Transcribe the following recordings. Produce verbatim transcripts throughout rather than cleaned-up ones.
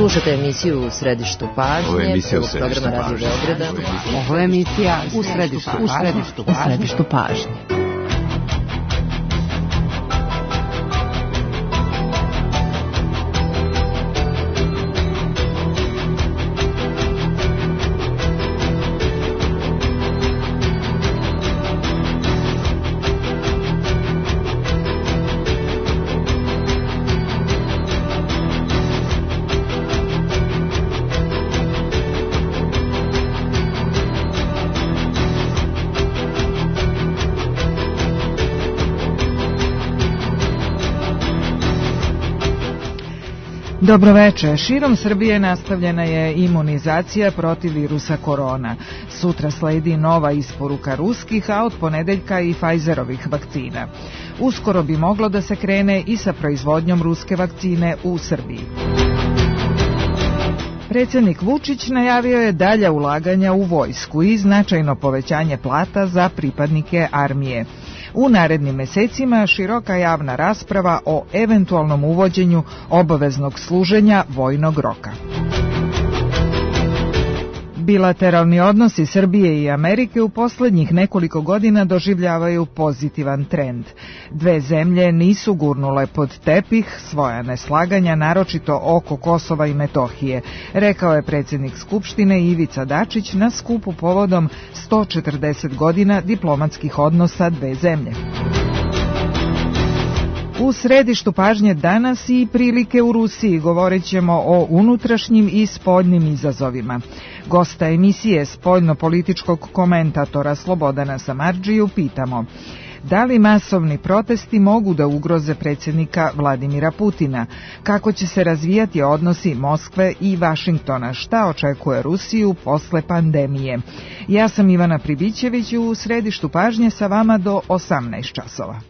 Slušate emisiju U središtu pažnje. Ovo je emisija U središtu pažnje. Ovo je emisija U središtu pažnje. U središtu pažnje. Dobroveče. Širom Srbije nastavljena je imunizacija protiv virusa korona. Sutra sledi nova isporuka ruskih, a od ponedeljka i Pfizerovih vakcina. Uskoro bi moglo da se krene i sa proizvodnjom ruske vakcine u Srbiji. Predsjednik Vučić najavio je dalja ulaganja u vojsku i značajno povećanje plata za pripadnike armije. U narednim mesecima široka javna rasprava o eventualnom uvođenju obaveznog služenja vojnog roka. Bilateralni odnosi Srbije i Amerike u poslednjih nekoliko godina doživljavaju pozitivan trend. Dve zemlje nisu gurnule pod tepih svoja neslaganja, naročito oko Kosova i Metohije, rekao je predsjednik Skupštine Ivica Dačić na skupu povodom sto četrdeset godina diplomatskih odnosa dve zemlje. U središtu pažnje danas i prilike u Rusiji, govorit ćemo o unutrašnjim i spoljnim izazovima. Gosta emisije spoljno-političkog komentatora Slobodana Samardžiju pitamo: da li masovni protesti mogu da ugroze predsjednika Vladimira Putina? Kako će se razvijati odnosi Moskve i Vašingtona? Šta očekuje Rusiju posle pandemije? Ja sam Ivana Pribićević, u središtu pažnje sa vama do osamnaest časova.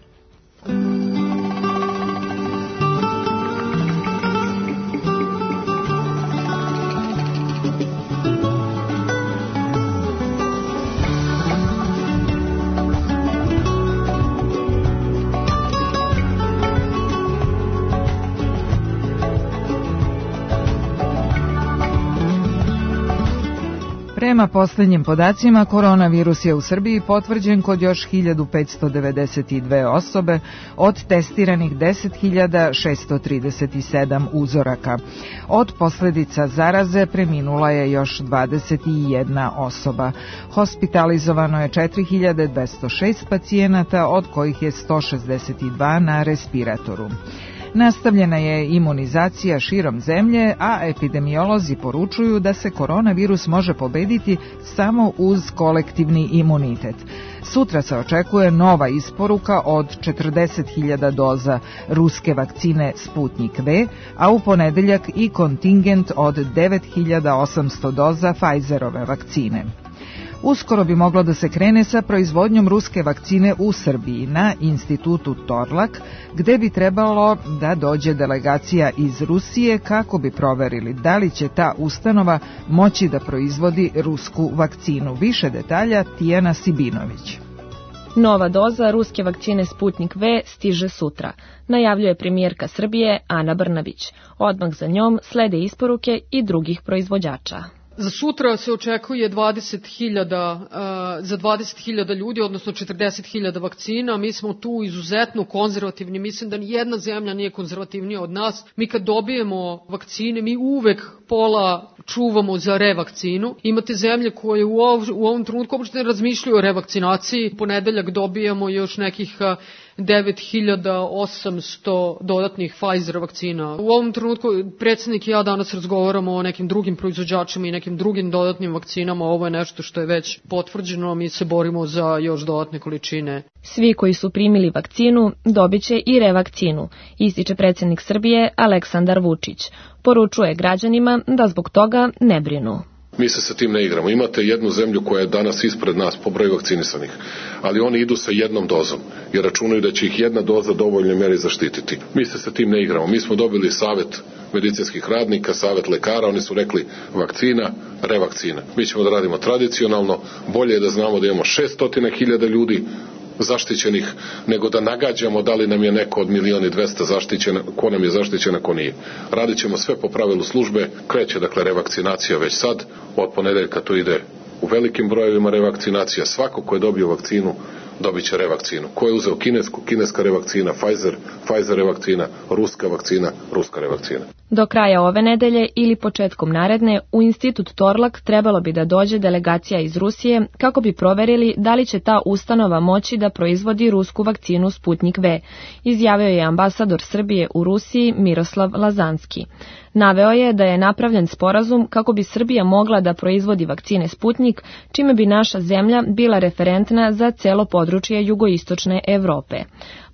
Prema posljednjim podacima, koronavirus je u Srbiji potvrđen kod još hiljadu petsto devedeset dve osobe od testiranih deset hiljada šesto trideset sedam uzoraka. Od posljedica zaraze preminula je još dvadeset jedna osoba. Hospitalizovano je četiri hiljade dvesta šest pacijenata, od kojih je sto šezdeset dva na respiratoru. Nastavljena je imunizacija širom zemlje, a epidemiolozi poručuju da se koronavirus može pobediti samo uz kolektivni imunitet. Sutra se očekuje nova isporuka od četrdeset hiljada doza ruske vakcine Sputnik V, a u ponedeljak i kontingent od devet hiljada osamsto doza Pfizerove vakcine. Uskoro bi moglo da se krene sa proizvodnjom ruske vakcine u Srbiji na institutu Torlak, gde bi trebalo da dođe delegacija iz Rusije kako bi proverili da li će ta ustanova moći da proizvodi rusku vakcinu. Više detalja Tijana Sibinović. Nova doza ruske vakcine Sputnik V stiže sutra, najavljuje premijerka Srbije Ana Brnabić. Odmah za njom slede isporuke i drugih proizvođača. Za sutra se očekuje dvadeset hiljada, uh, za dvadeset hiljada ljudi, odnosno četrdeset hiljada vakcina. Mi smo tu izuzetno konzervativni. Mislim da nijedna zemlja nije konzervativnija od nas. Mi kad dobijemo vakcine, mi uvek pola čuvamo za revakcinu. Imate zemlje koje u, ov, u ovom trenutku uopšte ne razmišljaju o revakcinaciji. Ponedeljak dobijamo još nekih uh, devet hiljada osamsto dodatnih Pfizer vakcina. U ovom trenutku predsjednik i ja danas razgovaramo o nekim drugim proizvođačima i nekim drugim dodatnim vakcinama. Ovo je nešto što je već potvrđeno, mi se borimo za još dodatne količine. Svi koji su primili vakcinu dobit će i revakcinu, ističe predsjednik Srbije Aleksandar Vučić. Poručuje građanima da zbog toga ne brinu. Mi se sa tim ne igramo. Imate jednu zemlju koja je danas ispred nas po broju vakcinisanih, ali oni idu sa jednom dozom jer računaju da će ih jedna doza dovoljno meri zaštititi. Mi se sa tim ne igramo. Mi smo dobili savjet medicinskih radnika, savjet lekara, oni su rekli vakcina, revakcina. Mi ćemo da radimo tradicionalno, bolje je da znamo da imamo šeststo hiljada ljudi zaštićenih, nego da nagađamo da li nam je neko od milion i dvesta zaštićen, ko nam je zaštićen, a ko nije. Radit ćemo sve po pravilu službe, kreće dakle revakcinacija već sad, od ponedeljka to ide u velikim brojevima revakcinacija, svako ko je dobio vakcinu dobit će revakcinu. Ko je uzeo kinesku, kineska revakcina, Pfizer, Pfizer revakcina, ruska vakcina, ruska revakcina. Do kraja ove nedelje ili početkom naredne u Institut Torlak trebalo bi da dođe delegacija iz Rusije kako bi proverili da li će ta ustanova moći da proizvodi rusku vakcinu Sputnik V, izjavio je ambasador Srbije u Rusiji Miroslav Lazanski. Naveo je da je napravljen sporazum kako bi Srbija mogla da proizvodi vakcine Sputnik, čime bi naša zemlja bila referentna za celo područje jugoistočne Evrope.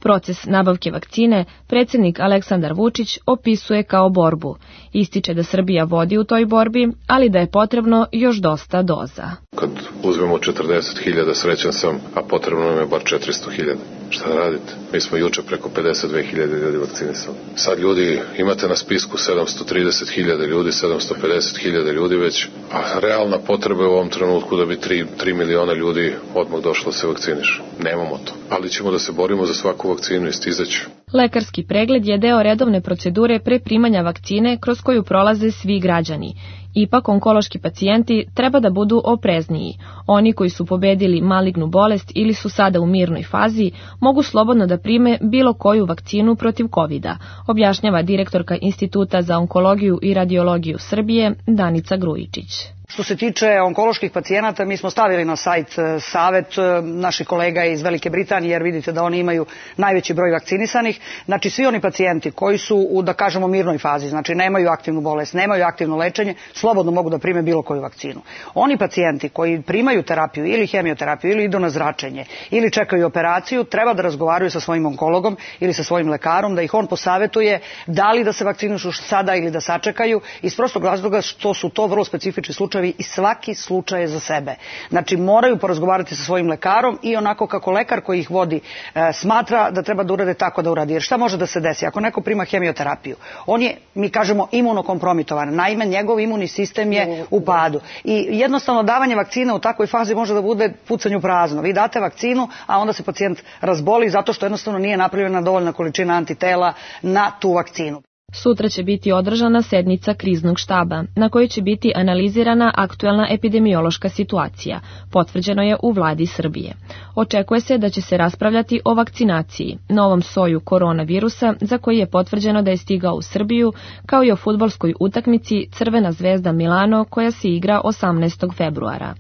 Proces nabavke vakcine predsjednik Aleksandar Vučić opisuje kao borbu. Ističe da Srbija vodi u toj borbi, ali da je potrebno još dosta doza. Kad uzmemo četrdeset hiljada, srećan sam, a potrebno nam je bar četiristo hiljada. Šta da radite? Mi smo juče preko pedeset dve hiljade ljudi vakcinisali. Sad ljudi, imate na spisku sedamsto trideset hiljada ljudi, sedamsto pedeset hiljada ljudi već, a realna potreba je u ovom trenutku da bi tri miliona ljudi odmah došlo da se vakciniše. Nemamo to, ali ćemo da se borimo za svaku vakcinu i stizaću. Lekarski pregled je deo redovne procedure pre primanja vakcine kroz koju prolaze svi građani. Ipak, onkološki pacijenti treba da budu oprezniji. Oni koji su pobedili malignu bolest ili su sada u mirnoj fazi, mogu slobodno da prime bilo koju vakcinu protiv kovida, objašnjava direktorka Instituta za onkologiju i radiologiju Srbije, Danica Grujičić. Što se tiče onkoloških pacijenata, mi smo stavili na sajt savet naših kolega iz Velike Britanije, jer vidite da oni imaju najveći broj vakcinisanih. Znači, svi oni pacijenti koji su u, da kažemo, mirnoj fazi, znači nemaju aktivnu bolest, nemaju aktivno lečenje, slobodno mogu da prime bilo koju vakcinu. Oni pacijenti koji primaju terapiju ili hemioterapiju ili idu na zračenje ili čekaju operaciju, treba da razgovaraju sa svojim onkologom ili sa svojim lekarom, da ih on posavetuje da li da se vakcinišu sada ili da sačekaju, iz prostog razloga što su to vrlo specifični slučajevi i svaki slučaj je za sebe. Znači, moraju porazgovarati sa svojim lekarom i onako kako lekar koji ih vodi e, smatra da treba da urade, tako da uradi. Jer šta može da se desi? Ako neko prima hemioterapiju, on je, mi kažemo, imunokompromitovan. Naime, njegov imunni sistem je u padu. I jednostavno davanje vakcine u takvoj fazi može da bude pucanju prazno. Vi date vakcinu, a onda se pacijent razboli zato što jednostavno nije napravljena dovoljna količina antitela na tu vakcinu. Sutra će biti održana sednica kriznog štaba, na kojoj će biti analizirana aktuelna epidemiološka situacija, potvrđeno je u vladi Srbije. Očekuje se da će se raspravljati o vakcinaciji, novom soju koronavirusa za koji je potvrđeno da je stigao u Srbiju, kao i o fudbalskoj utakmici Crvena zvezda Milano koja se igra osamnaestog februara.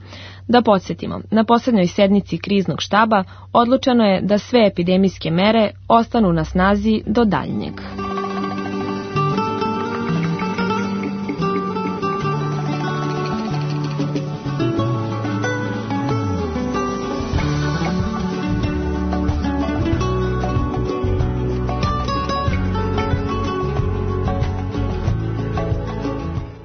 Da podsjetimo, na posljednjoj sednici kriznog štaba odlučeno je da sve epidemijske mere ostanu na snazi do daljnjeg.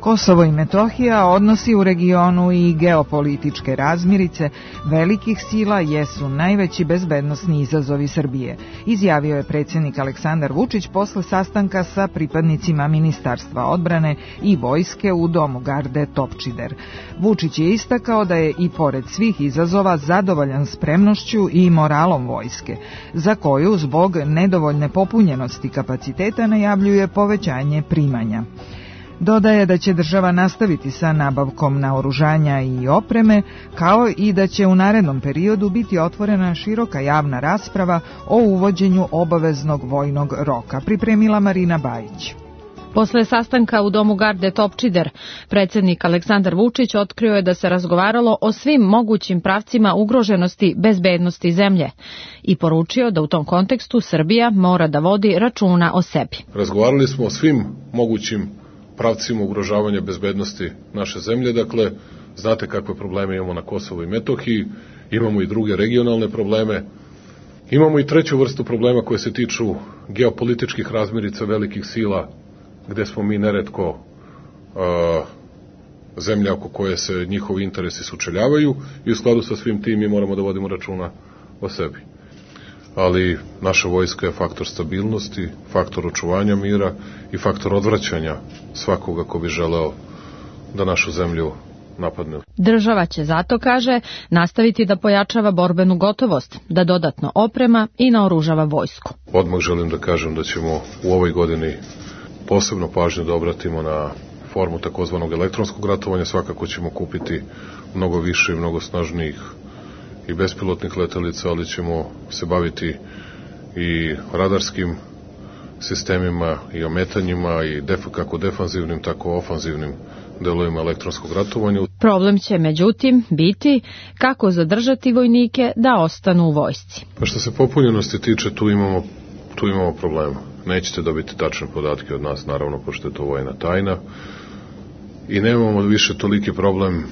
Kosovo i Metohija, odnosi u regionu i geopolitičke razmirice velikih sila jesu najveći bezbednosni izazovi Srbije, izjavio je predsjednik Aleksandar Vučić posle sastanka sa pripadnicima Ministarstva odbrane i vojske u domu garde Topčider. Vučić je istakao da je i pored svih izazova zadovoljan spremnošću i moralom vojske, za koju zbog nedovoljne popunjenosti kapaciteta najavljuje povećanje primanja. Dodaje da će država nastaviti sa nabavkom naoružanja i opreme, kao i da će u narednom periodu biti otvorena široka javna rasprava o uvođenju obaveznog vojnog roka, pripremila Marina Bajić. Posle sastanka u domu garde Topčider, predsjednik Aleksandar Vučić otkrio je da se razgovaralo o svim mogućim pravcima ugroženosti bezbednosti zemlje i poručio da u tom kontekstu Srbija mora da vodi računa o sebi. Razgovarali smo o svim mogućim pravcima ugrožavanja bezbednosti naše zemlje, dakle, znate kakve probleme imamo na Kosovu i Metohiji, imamo i druge regionalne probleme, imamo i treću vrstu problema koje se tiču geopolitičkih razmirica velikih sila, gde smo mi neretko uh, zemlja oko koje se njihovi interesi sučeljavaju i u skladu sa svim tim mi moramo da vodimo računa o sebi. Ali naša vojska je faktor stabilnosti, faktor očuvanja mira i faktor odvraćanja svakoga ko bi želeo da našu zemlju napadne. Država će zato, kaže, nastaviti da pojačava borbenu gotovost, da dodatno oprema i naoružava vojsku. Odmah želim da kažem da ćemo u ovoj godini posebno pažnju da obratimo na formu takozvanog elektronskog ratovanja. Svakako ćemo kupiti mnogo više i mnogo snažnijih i bespilotnih letelica, ali ćemo se baviti i radarskim sistemima i ometanjima i def, kako defanzivnim, tako ofanzivnim delovima elektronskog ratovanja. Problem će, međutim, biti kako zadržati vojnike da ostanu u vojsci. Pa što se popunjenosti tiče, tu imamo, tu imamo problema. Nećete dobiti tačne podatke od nas, naravno, pošto je to vojna tajna. I nemamo više toliki problem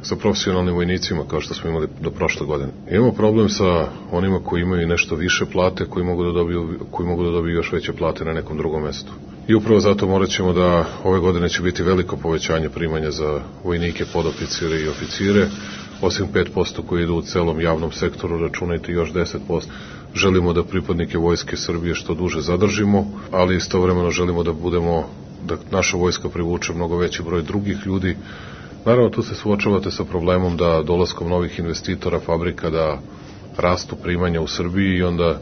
sa profesionalnim vojnicima kao što smo imali do prošle godine. Imamo problem sa onima koji imaju nešto više plate, koji mogu da dobiju, koji mogu da dobiju još veće plate na nekom drugom mestu. I upravo zato morat ćemo da ove godine će biti veliko povećanje primanja za vojnike, podoficire i oficire, osim pet posto koji idu u celom javnom sektoru, računajte još deset posto. Želimo da pripadnike Vojske Srbije što duže zadržimo, ali istovremeno želimo da budemo, da naša vojska privuče mnogo veći broj drugih ljudi. Naravno, tu se suočavate sa problemom da dolaskom novih investitora, fabrika, da rastu primanja u Srbiji i onda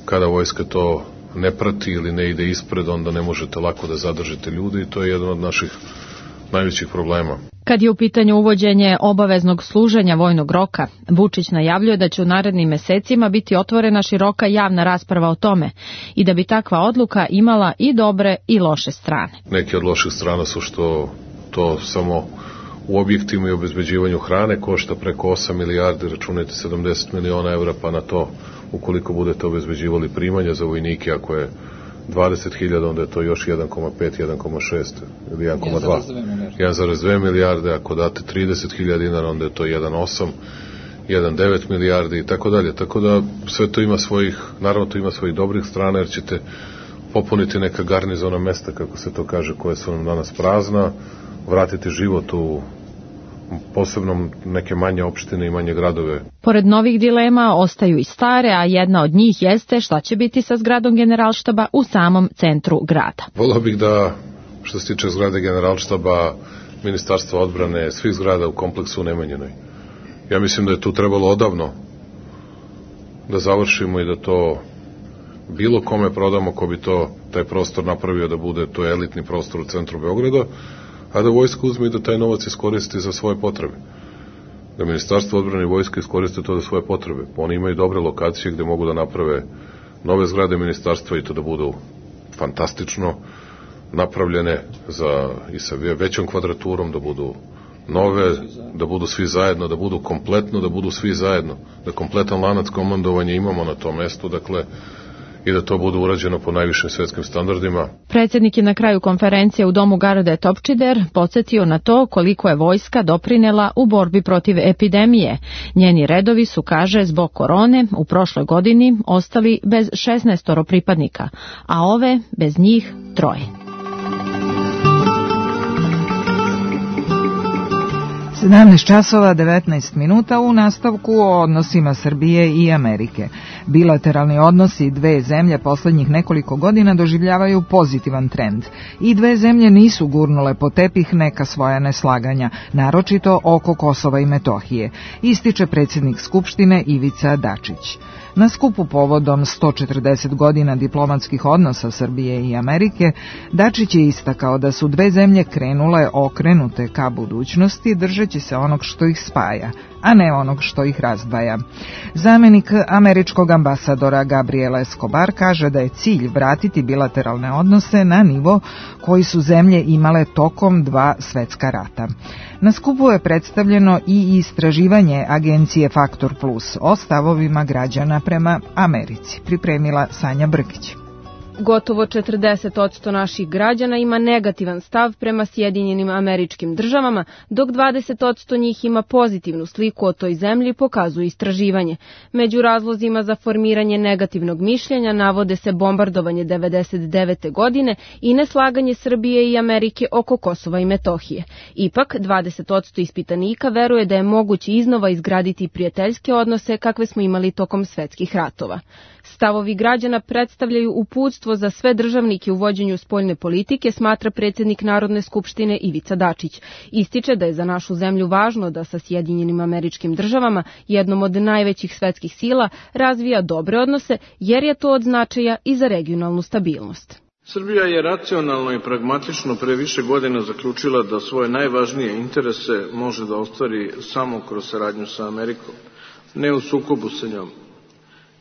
kada vojska to ne prati ili ne ide ispred, onda ne možete lako da zadržite ljude i to je jedan od naših najvećih problema. Kad je u pitanju uvođenje obaveznog služenja vojnog roka, Vučić najavljuje da će u narednim mesecima biti otvorena široka javna rasprava o tome i da bi takva odluka imala i dobre i loše strane. Neke od loših strana su što to samo u objektima i obezbeđivanju hrane košta preko osam milijardi, računajte sedamdeset miliona evra, pa na to, ukoliko budete obezbeđivali primanja za vojnike, ako je dvadeset hiljada, onda je to još jedan zarez pet, jedan zarez šest ili jedan zarez dva. jedan zarez dve milijarde, ako date trideset hiljada dinara, onda je to jedan zarez osam, jedan zarez devet milijardi i tako dalje. Tako da sve to ima svojih, naravno to ima svojih dobrih strana, jer ćete popuniti neka garnizona mesta, kako se to kaže, koje su nam danas prazna, vratiti život u posebno neke manje opštine i manje gradove. Pored novih dilema ostaju i stare, a jedna od njih jeste šta će biti sa zgradom Generalštaba u samom centru grada. Volio bih da, što se tiče zgrade Generalštaba, Ministarstva odbrane, svih zgrada u kompleksu u Nemanjinoj. Ja mislim da je tu trebalo odavno da završimo i da to bilo kome prodamo ko bi to, taj prostor napravio da bude to elitni prostor u centru Beograda, a da vojska uzme i da taj novac iskoristi za svoje potrebe. Da Ministarstvo odbrane i vojske iskoriste to za svoje potrebe. Oni imaju dobre lokacije gde mogu da naprave nove zgrade ministarstva i to da budu fantastično napravljene za, i sa većom kvadraturom, da budu nove, da budu svi zajedno, da budu kompletno, da budu svi zajedno, da kompletan lanac komandovanja imamo na tom mestu, dakle, i da to bude urađeno po najvišim svetskim standardima. Predsjednik je na kraju konferencije u domu Garde Topčider podsjetio na to koliko je vojska doprinela u borbi protiv epidemije. Njeni redovi su, kaže, zbog korone u prošloj godini ostali bez šesnaestoro pripadnika, a ove bez njih troje. sedamnaest časova devetnaest minuta u nastavku o odnosima Srbije i Amerike. Bilateralni odnosi dve zemlje poslednjih nekoliko godina doživljavaju pozitivan trend. I dve zemlje nisu gurnule po tepih neka svoja neslaganja, naročito oko Kosova i Metohije, ističe predsjednik Skupštine Ivica Dačić. Na skupu povodom sto četrdeset godina diplomatskih odnosa Srbije i Amerike, Dačić je istakao da su dve zemlje krenule okrenute ka budućnosti, držeći se onog što ih spaja, a ne onog što ih razdvaja. Zamenik američkog ambasadora Gabriela Escobar kaže da je cilj vratiti bilateralne odnose na nivo koji su zemlje imale tokom dva svetska rata. Na skupu je predstavljeno i istraživanje agencije Faktor Plus o stavovima građana prema Americi, pripremila Sanja Brkić. Gotovo četrdeset posto naših građana ima negativan stav prema Sjedinjenim Američkim Državama, dok dvadeset posto njih ima pozitivnu sliku o toj zemlji, pokazuje istraživanje. Među razlozima za formiranje negativnog mišljenja navode se bombardovanje devedeset devete godine i neslaganje Srbije i Amerike oko Kosova i Metohije. Ipak, dvadeset posto ispitanika veruje da je moguće iznova izgraditi prijateljske odnose kakve smo imali tokom svetskih ratova. Stavovi građana predstavljaju uputstvo vođstvo za sve državnike u vođenju spoljne politike, smatra predsjednik Narodne skupštine Ivica Dačić. Ističe da je za našu zemlju važno da sa Sjedinjenim Američkim Državama, jednom od najvećih svetskih sila, razvija dobre odnose, jer je to od značaja i za regionalnu stabilnost. Srbija je racionalno i pragmatično pre više godina zaključila da svoje najvažnije interese može da ostvari samo kroz saradnju sa Amerikom, ne u sukobu sa njom.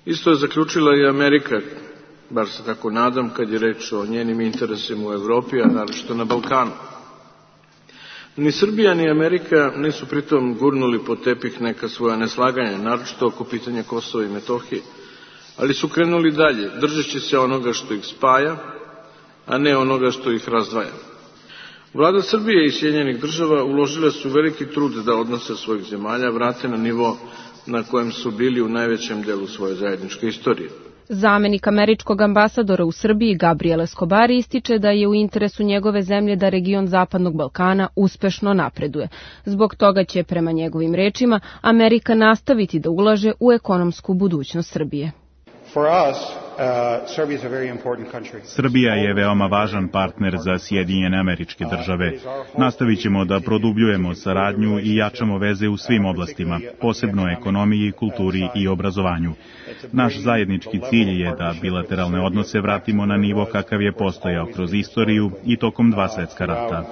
Isto je zaključila i Amerika, bar se tako nadam, kad je reč o njenim interesima u Evropi, a naročito na Balkanu. Ni Srbija ni Amerika nisu pritom gurnuli pod tepih neka svoja neslaganja, naročito oko pitanja Kosova i Metohije, ali su krenuli dalje, držeći se onoga što ih spaja, a ne onoga što ih razdvaja. Vlada Srbije i Sjedinjenih Država uložile su veliki trud da odnose svojih zemalja vrate na nivo na kojem su bili u najvećem delu svoje zajedničke istorije. Zamenik američkog ambasadora u Srbiji Gabriel Escobar ističe da je u interesu njegove zemlje da region Zapadnog Balkana uspešno napreduje. Zbog toga će, prema njegovim rečima, Amerika nastaviti da ulaže u ekonomsku budućnost Srbije. Srbija je veoma važan partner za Sjedinjene Američke Države. Nastavit ćemo da produbljujemo saradnju i jačamo veze u svim oblastima, posebno ekonomiji, kulturi i obrazovanju. Naš zajednički cilj je da bilateralne odnose vratimo na nivo kakav je postojao kroz istoriju i tokom dva svetska rata.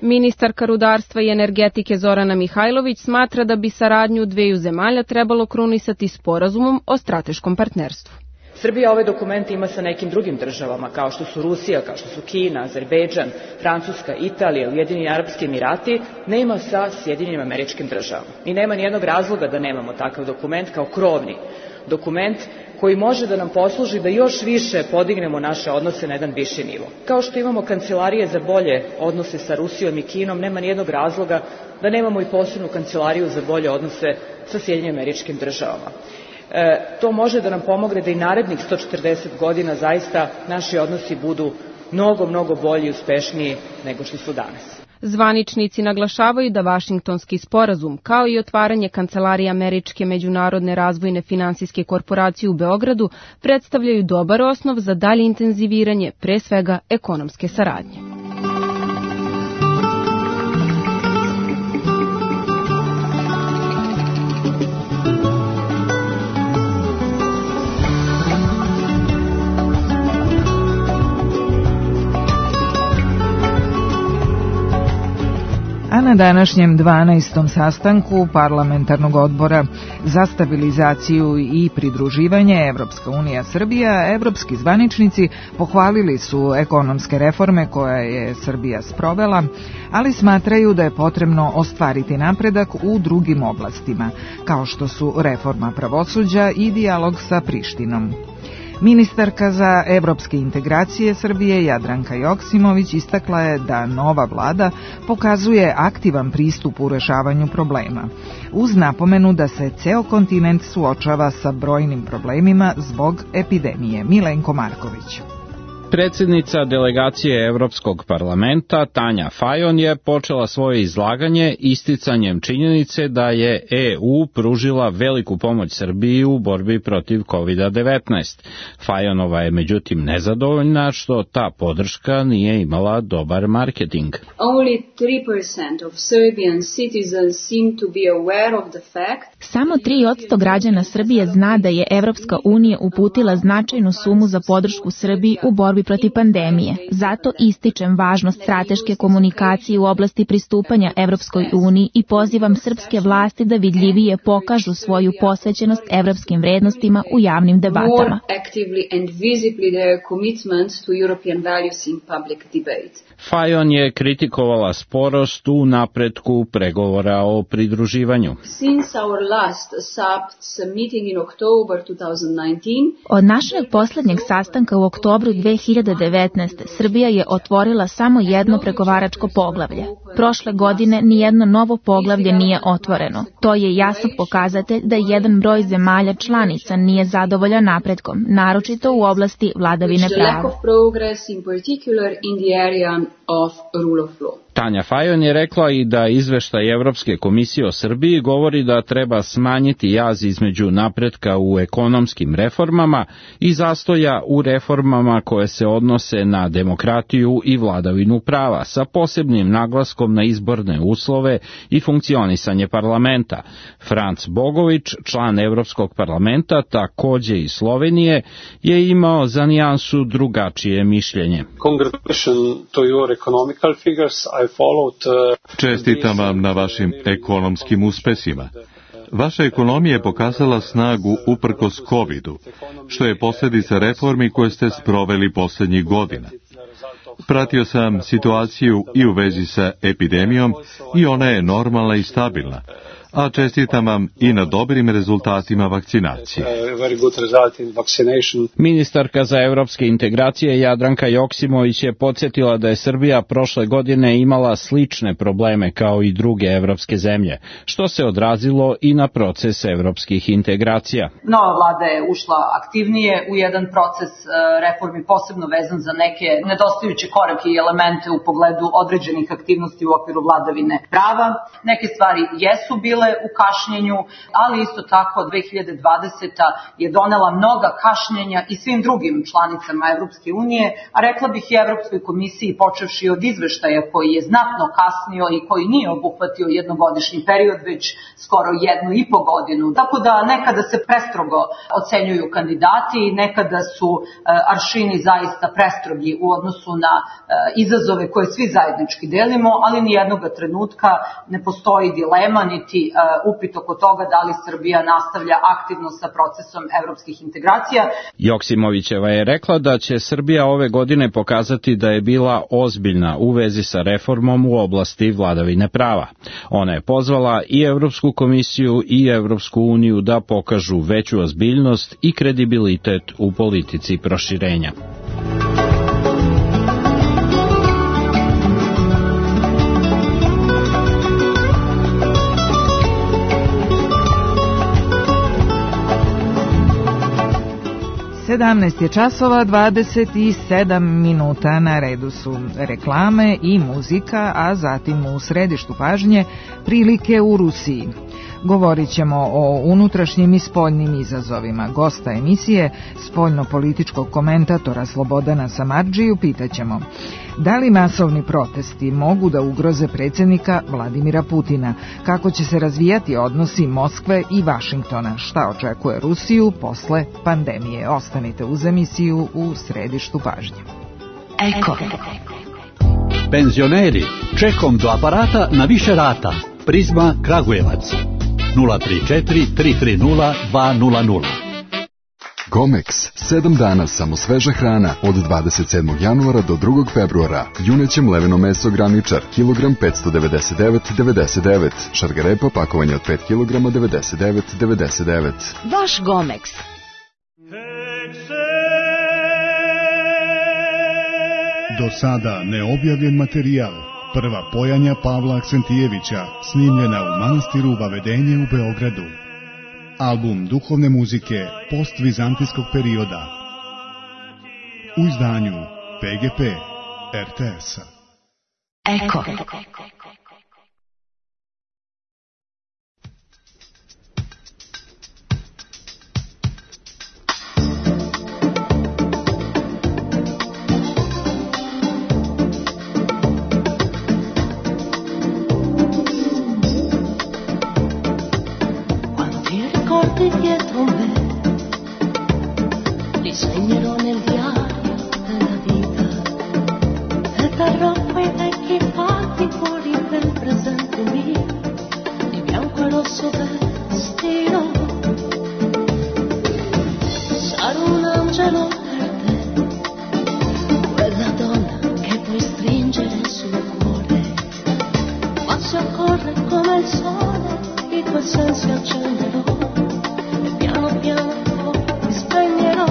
Ministarka rudarstva i energetike Zorana Mihajlović smatra da bi saradnju dveju zemalja trebalo krunisati sporazumom o strateškom partnerstvu. Srbija ovaj dokument ima sa nekim drugim državama, kao što su Rusija, kao što su Kina, Azerbejdžan, Francuska, Italija, Ujedinjeni Arapski Emirati, nema sa Sjedinjenim Američkim Državama. I nema nijednog razloga da nemamo takav dokument kao krovni dokument koji može da nam posluži da još više podignemo naše odnose na jedan viši nivo. Kao što imamo kancelarije za bolje odnose sa Rusijom i Kinom, nema nijednog razloga da nemamo i posebnu kancelariju za bolje odnose sa Sjedinjenim Američkim Državama. E, to može da nam pomogne da i narednih sto četrdeset godina zaista naši odnosi budu mnogo, mnogo bolji i uspešniji nego što su danas. Zvaničnici naglašavaju da Vašingtonski sporazum, kao i otvaranje kancelarije Američke međunarodne razvojne finansijske korporacije u Beogradu, predstavljaju dobar osnov za dalje intenziviranje, pre svega, ekonomske saradnje. A na današnjem dvanaestom sastanku Parlamentarnog odbora za stabilizaciju i pridruživanje Evropska unija Srbija, evropski zvaničnici pohvalili su ekonomske reforme koje je Srbija sprovela, ali smatraju da je potrebno ostvariti napredak u drugim oblastima, kao što su reforma pravosuđa i dijalog sa Prištinom. Ministarka za evropske integracije Srbije Jadranka Joksimović istakla je da nova vlada pokazuje aktivan pristup u rešavanju problema, uz napomenu da se ceo kontinent suočava sa brojnim problemima zbog epidemije. Milenko Marković. Predsjednica delegacije Evropskog parlamenta Tanja Fajon je počela svoje izlaganje isticanjem činjenice da je E U pružila veliku pomoć Srbiji u borbi protiv kovid devetnaest. Fajonova je međutim nezadovoljna što ta podrška nije imala dobar marketing. Only three percent of Serbian citizens seem to be aware of the fact. Samo tri posto građana Srbije zna da je Evropska unija uputila značajnu sumu za podršku Srbiji u borbi protiv pandemije. Zato ističem važnost strateške komunikacije u oblasti pristupanja Evropskoj uniji i pozivam srpske vlasti da vidljivije pokažu svoju posvećenost evropskim vrednostima u javnim debatama. More actively and visibly their commitment to European values in public debate. Fajon je kritikovala sporost u napretku pregovora o pridruživanju. Since our last S A P meeting in October twenty nineteen, od našeg poslednjeg sastanka u oktobru dve hiljade devetnaeste. Srbija je otvorila samo jedno pregovaračko poglavlje. Prošle godine nijedno novo poglavlje nije otvoreno. To je jasan pokazatelj da jedan broj zemalja članica nije zadovoljan napretkom, naročito u oblasti vladavine prava. of rule of law. Tanja Fajon je rekla i da izveštaj Evropske komisije o Srbiji govori da treba smanjiti jaz između napretka u ekonomskim reformama i zastoja u reformama koje se odnose na demokratiju i vladavinu prava, sa posebnim naglaskom na izborne uslove i funkcionisanje parlamenta. Franc Bogović, član Evropskog parlamenta, takođe iz Slovenije, je imao za nijansu drugačije mišljenje. Čestitam vam na vašim ekonomskim uspesima. Vaša ekonomija je pokazala snagu uprkos kovidu, što je posljedica reformi koje ste sproveli poslednjih godina. Pratio sam situaciju i u vezi sa epidemijom i ona je normalna i stabilna, a čestitam vam i na dobrim rezultatima vakcinacije. Ministarka za evropske integracije Jadranka Joksimović je podsjetila da je Srbija prošle godine imala slične probleme kao i druge evropske zemlje, što se odrazilo i na proces evropskih integracija. Nova vlada je ušla aktivnije u jedan proces reformi, posebno vezan za neke nedostajuće korake i elemente u pogledu određenih aktivnosti u okviru vladavine prava. Neke stvari jesu bile u kašnjenju, ali isto tako dve hiljade dvadeseta. je donela mnoga kašnjenja i svim drugim članicama Evropske unije, a rekla bih i Evropskoj komisiji, počevši od izveštaja koji je znatno kasnio i koji nije obuhvatio jednogodišnji period, već skoro jednu i po godinu. Tako da nekada se prestrogo ocenjuju kandidati i nekada su aršini zaista prestrogi u odnosu na izazove koje svi zajednički delimo, ali ni jednog trenutka ne postoji dilema niti upit oko toga da li Srbija nastavlja aktivno sa procesom evropskih integracija. Joksimovićeva je rekla da će Srbija ove godine pokazati da je bila ozbiljna u vezi sa reformom u oblasti vladavine prava. Ona je pozvala i Evropsku komisiju i Evropsku uniju da pokažu veću ozbiljnost i kredibilitet u politici proširenja. sedamnaest je časova dvadeset sedam minuta, na redu su reklame i muzika, a zatim u središtu pažnje prilike u Rusiji. Govorit ćemo o unutrašnjim i spoljnim izazovima. Gosta emisije, spoljno-političkog komentatora Slobodana Samardžiju, pitaćemo: da li masovni protesti mogu da ugroze predsjednika Vladimira Putina? Kako će se razvijati odnosi Moskve i Vašingtona? Šta očekuje Rusiju posle pandemije? Ostanite uz emisiju u središtu pažnje. Eko. Penzioneri, čekom do aparata na više rata. Prizma Kragujevac. nula tri četiri tri tri nula dva nula nula. Gomex, sedam dana samo sveža hrana od dvadeset sedmog januara do drugog februara. Juneće mleveno meso graničar, kilogram petsto devedeset devet devedeset devet. Šargarepa pakovanje od pet kilograma devedeset devet devedeset devet. Vaš Gomex. Do sada neobjavljen materijal. Prva pojanja Pavla Aksentijevića, snimljena u manastiru Vavedenje u Beogradu. Album duhovne muzike postvizantijskog perioda. U izdanju P G P R T S-a. Eko. Dietro me disegnerò nel diario della vita e terrò quei vecchi fatti fuori del presente mio, di bianco e rosso vestito. Sarò un angelo per te, quella donna che puoi stringere sul cuore, ma si accorre come il sole, i tuoi sensi accenderò. Piano piano mi spegnerò,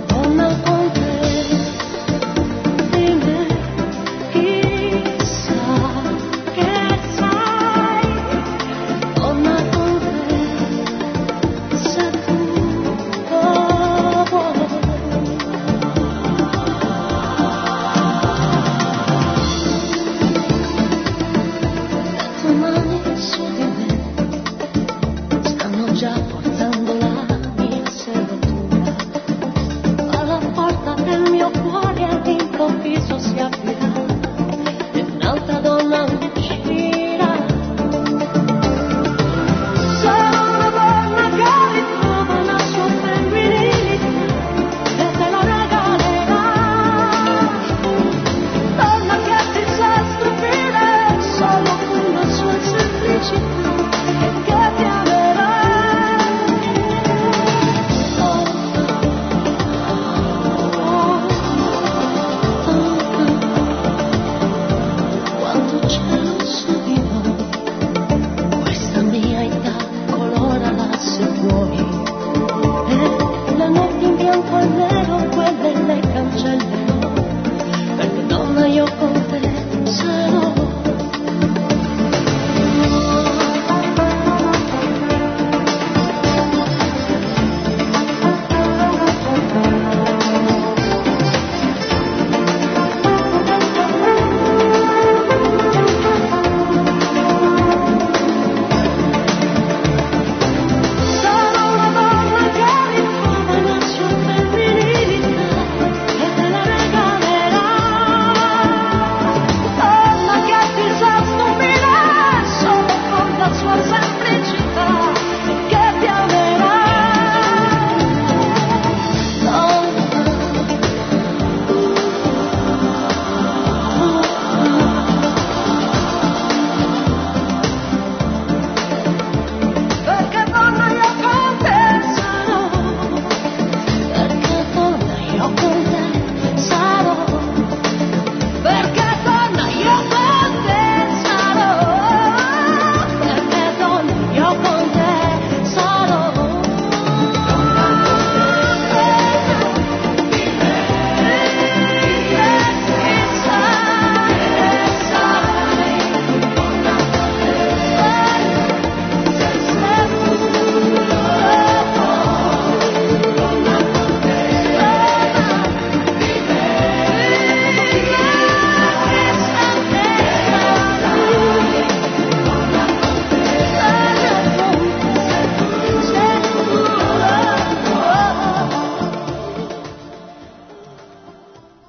donna con te, di me chissà che sai, donna con te, se tu lo vuoi.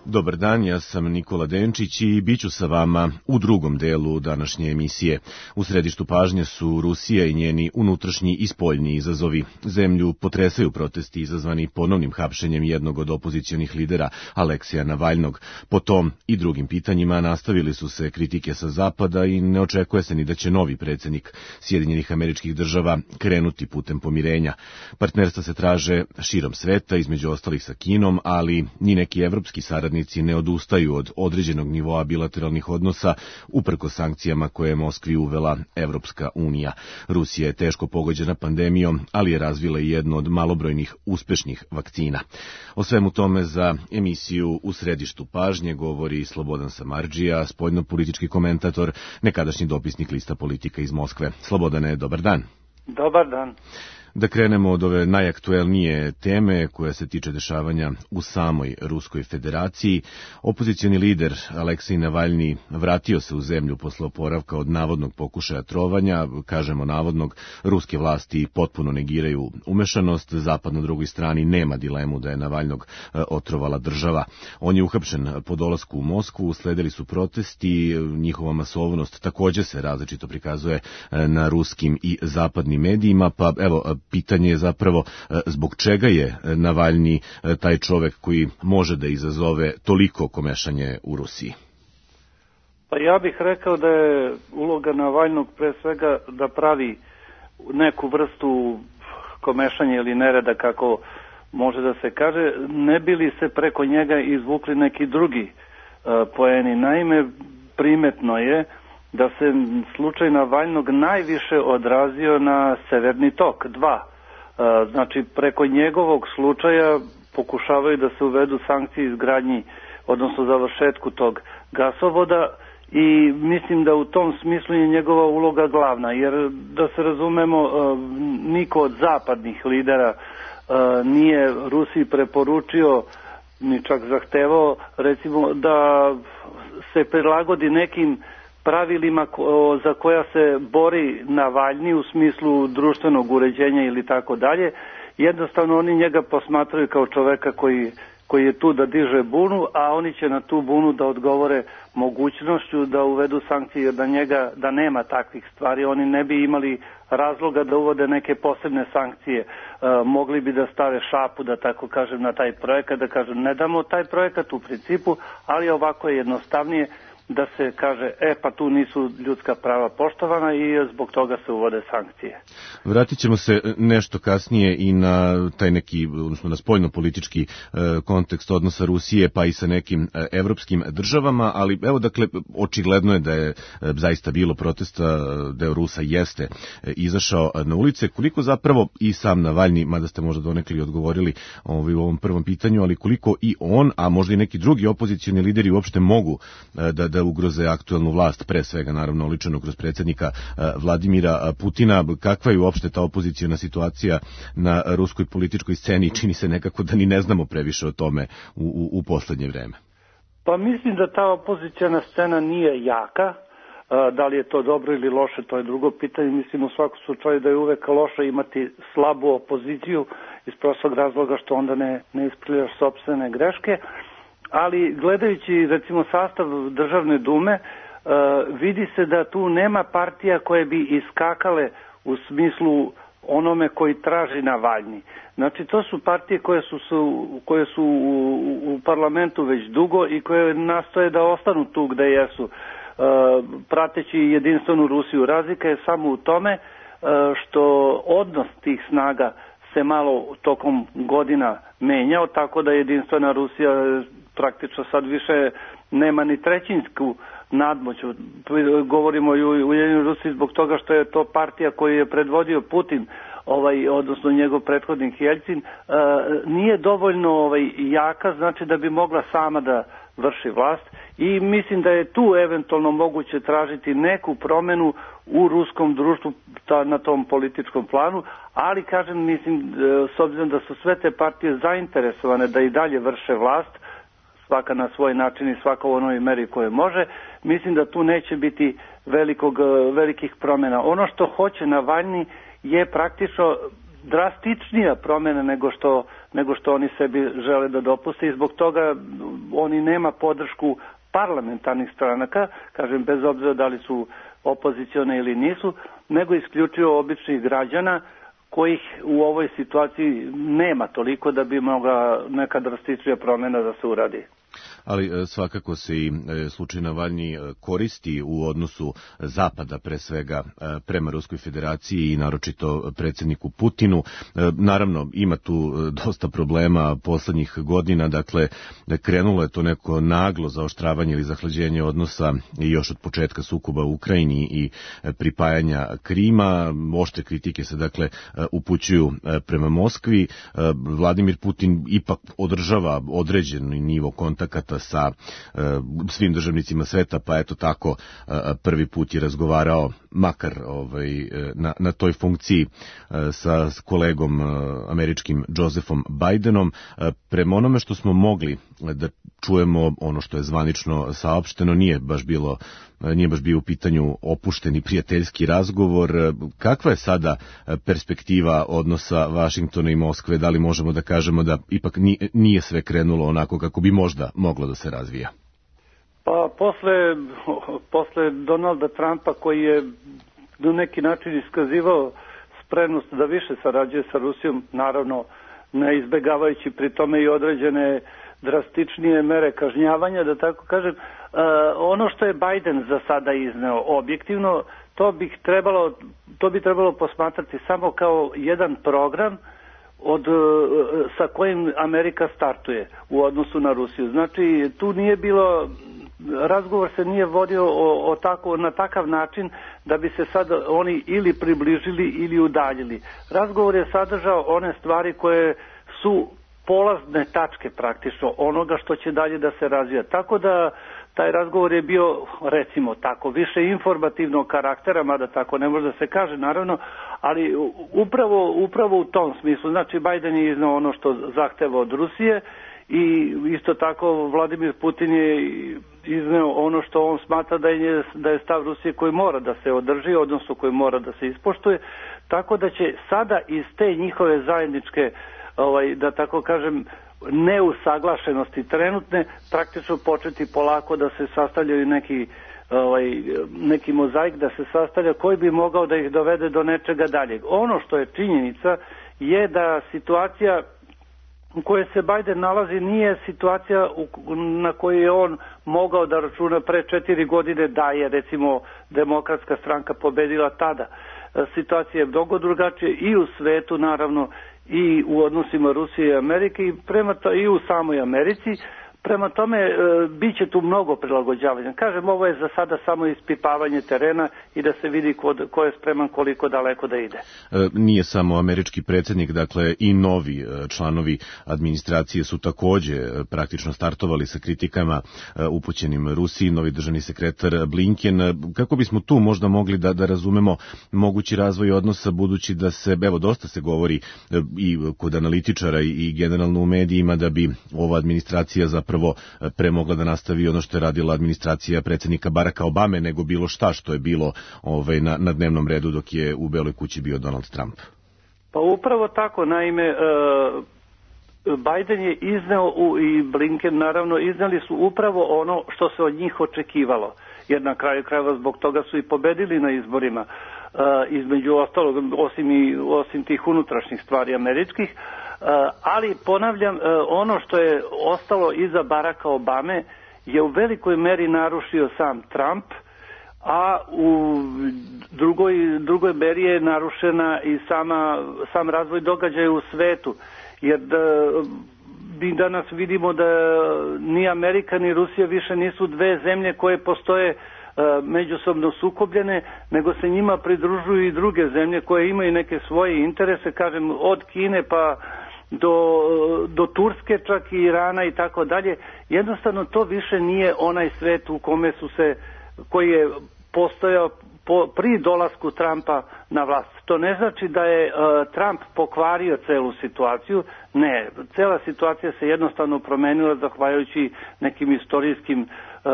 Dobar dan, ja sam Nikola Denčić i bit ću sa vama u drugom delu današnje emisije. U središtu pažnje su Rusija i njeni unutrašnji i spoljni izazovi. Zemlju potresaju protesti izazvani ponovnim hapšenjem jednog od opozicionih lidera, Aleksija Navalnog. Po tom i drugim pitanjima nastavili su se kritike sa zapada i ne očekuje se ni da će novi predsjednik Sjedinjenih Američkih Država krenuti putem pomirenja. Partnerstva se traže širom sveta, između ostalih sa Kinom, ali ni neki evropski saradnici ne odustaju od određenog nivoa bilateralnih odnosa uprkos sankcijama koje je Moskvi uvela Evropska unija. Rusija je teško pogođena pandemijom, ali je razvila i jednu od malobrojnih uspešnih vakcina. O svemu tome za emisiju U središtu pažnje govori Slobodan Samardžija, spoljno-politički komentator, nekadašnji dopisnik Lista Politika iz Moskve. Slobodane, dobar dan. Dobar dan. Da krenemo od ove najaktuelnije teme koja se tiče dešavanja u samoj Ruskoj federaciji. Opozicioni lider Aleksej Navalni vratio se u zemlju posle oporavka od navodnog pokušaja trovanja. Kažemo navodnog, ruske vlasti potpuno negiraju umešanost. Zapad na drugoj strani nema dilemu da je Navalnog otrovala država. On je uhapšen po dolasku u Moskvu, usledili su protesti, njihova masovnost također se različito prikazuje na ruskim i zapadnim medijima, pa evo, pitanje je zapravo zbog čega je Navalni taj čovek koji može da izazove toliko komešanje u Rusiji? Pa ja bih rekao da je uloga Navalnog pre svega da pravi neku vrstu komešanja ili nereda, kako može da se kaže, ne bi li se preko njega izvukli neki drugi uh, poeni. Naime, primetno je da se slučaj Navalnog najviše odrazio na Severni tok dva. Znači, preko njegovog slučaja pokušavaju da se uvedu sankcije izgradnji, odnosno završetku tog gasovoda, i mislim da u tom smislu je njegova uloga glavna, jer da se razumemo, niko od zapadnih lidera nije Rusiji preporučio, ni čak zahtevao, recimo, da se prilagodi nekim pravilima za koja se bori Navalni u smislu društvenog uređenja ili tako dalje. Jednostavno oni njega posmatraju kao čoveka koji, koji je tu da diže bunu, a oni će na tu bunu da odgovore mogućnošću da uvedu sankcije, jer da njega, da nema takvih stvari, oni ne bi imali razloga da uvode neke posebne sankcije. E, mogli bi da stave šapu, da tako kažem, na taj projekat, da kažem ne damo taj projekat u principu, ali ovako je jednostavnije da se kaže, e pa tu nisu ljudska prava poštovana i zbog toga se uvode sankcije. Vratit ćemo se nešto kasnije i na taj neki, odnosno na spoljno-politički e, kontekst odnosa Rusije pa i sa nekim e, evropskim državama, ali evo dakle, očigledno je da je e, zaista bilo protesta, deo Rusa jeste e, izašao na ulice. Koliko zapravo i sam Navalni, mada ste možda donekli odgovorili ovaj, u ovom prvom pitanju, ali koliko i on, a možda i neki drugi opozicioni lideri uopšte mogu e, da, da ugroze aktuelnu vlast, pre svega naravno oličeno kroz predsjednika Vladimira Putina. Kakva je uopšte ta opoziciona situacija na ruskoj političkoj sceni? Čini se nekako da ni ne znamo previše o tome u, u, u poslednje vreme. Pa mislim da ta opoziciona scena nije jaka. Da li je to dobro ili loše, to je drugo pitanje. Mislim u svakom slučaju da je uvek loše imati slabu opoziciju iz prostog razloga što onda ne, ne ispravljaš sopstvene greške. Ali gledajući recimo sastav Državne dume, uh, vidi se da tu nema partija koje bi iskakale u smislu onome koji traži Navalni. Znači to su partije koje su, su, koje su u, u parlamentu već dugo i koje nastoje da ostanu tu gde jesu, uh, prateći jedinstvenu Rusiju. Razlika je samo u tome uh, što odnos tih snaga se malo tokom godina menjao, tako da jedinstvena Rusija praktično sad više nema ni trećinsku nadmoć. Govorimo i u Ujedinjenoj Rusiji zbog toga što je to partija koju je predvodio Putin, ovaj, odnosno njegov prethodnik Jeljcin, e, nije dovoljno ovaj, jaka, znači da bi mogla sama da vrši vlast, i mislim da je tu eventualno moguće tražiti neku promenu u ruskom društvu ta, na tom političkom planu, ali kažem, mislim, s obzirom da su sve te partije zainteresovane da i dalje vrše vlast, svaka na svoj način i svaka u onoj meri koje može, mislim da tu neće biti velikog, velikih promjena. Ono što hoće Navalni je praktično drastičnija promjena nego što, nego što oni sebi žele da dopuste i zbog toga oni nema podršku parlamentarnih stranaka, kažem bez obzira da li su opozicione ili nisu, nego isključivo običnih građana kojih u ovoj situaciji nema toliko da bi mogla neka drastičnija promjena da se uradi. Ali svakako se i slučaj Navalnji koristi u odnosu Zapada, pre svega prema Ruskoj federaciji i naročito predsjedniku Putinu. Naravno, ima tu dosta problema poslednjih godina, dakle, krenulo je to neko naglo zaoštravanje ili zahlađenje odnosa još od početka sukoba u Ukrajini i pripajanja Krima. Oštre kritike se, dakle, upućuju prema Moskvi. Vladimir Putin ipak održava određeni nivo kontakata sa uh, svim državnicima sveta, pa eto tako uh, prvi put je razgovarao makar ovaj, na, na toj funkciji uh, sa kolegom uh, američkim Josephom Bidenom. Uh, prema onome što smo mogli da čujemo, ono što je zvanično saopšteno, nije baš bilo nije baš bio u pitanju opušteni prijateljski razgovor. Kakva je sada perspektiva odnosa Vašingtona i Moskve? Da li možemo da kažemo da ipak nije sve krenulo onako kako bi možda moglo da se razvija? Pa posle, posle Donalda Trumpa, koji je na neki način iskazivao spremnost da više sarađuje sa Rusijom, naravno ne izbegavajući pri tome i određene drastičnije mere kažnjavanja, da tako kažem, uh, ono što je Biden za sada izneo objektivno, to bi trebalo, to bi trebalo posmatrati samo kao jedan program od, uh, sa kojim Amerika startuje u odnosu na Rusiju. Znači, tu nije bilo, razgovor se nije vodio o, o tako, na takav način da bi se sad oni ili približili ili udaljili. Razgovor je sadržao one stvari koje su polazne tačke praktično onoga što će dalje da se razvija. Tako da taj razgovor je bio, recimo tako, više informativnog karaktera, mada tako ne može da se kaže, naravno, ali upravo, upravo u tom smislu. Znači, Biden je iznao ono što zahteva od Rusije i isto tako Vladimir Putin je izneo ono što on smatra da je, da je stav Rusije koji mora da se održi, odnosno koji mora da se ispoštuje, tako da će sada iz te njihove zajedničke, ovaj, da tako kažem, neusaglašenosti trenutne, praktično početi polako da se sastavljaju neki, ovaj, neki mozaik, da se sastavlja koji bi mogao da ih dovede do nečega daljeg. Ono što je činjenica je da situacija u kojoj se Biden nalazi nije situacija na kojoj je on mogao da računa pre četiri godine da je, recimo, Demokratska stranka pobedila tada. Situacija je mnogo drugačija i u svetu, naravno, i u odnosima Rusije i Amerike i, prema to, i u samoj Americi. Prema tome, e, bit će tu mnogo prilagođavanja. Kažem, ovo je za sada samo ispipavanje terena i da se vidi ko, ko je spreman koliko daleko da ide. E, nije samo američki predsjednik, dakle i novi članovi administracije su takođe praktično startovali sa kritikama e, upućenim Rusiji, novi državni sekretar Blinken. Kako bismo tu možda mogli da, da razumemo mogući razvoj odnosa, budući da se, evo, dosta se govori e, i kod analitičara i, i generalno u medijima da bi ova administracija za prvo pre mogla da nastavi ono što je radila administracija predsjednika Baracka Obame nego bilo šta što je bilo ovaj, na, na dnevnom redu dok je u Beloj kući bio Donald Trump. Pa upravo tako, naime, uh, Biden je izneo u, i Blinken naravno izneli su upravo ono što se od njih očekivalo, jer na kraju krajeva zbog toga su i pobedili na izborima, uh, između ostalog, osim, i, osim tih unutrašnjih stvari američkih. Uh, ali ponavljam, uh, ono što je ostalo iza Baracka Obame je u velikoj meri narušio sam Trump, a u drugoj, drugoj meri je narušena i sama, sam razvoj događaja u svetu, jer da, mi danas vidimo da ni Amerika ni Rusija više nisu dve zemlje koje postoje međusobno sukobljene, nego se njima pridružuju i druge zemlje koje imaju neke svoje interese, kažem, od Kine pa do, do Turske, čak i Irana i tako dalje. Jednostavno to više nije onaj svet u kome su se, koji je postojao po, pri dolasku Trumpa na vlast. To ne znači da je uh, Trump pokvario celu situaciju, ne, cela situacija se jednostavno promenila zahvaljujući nekim istorijskim uh,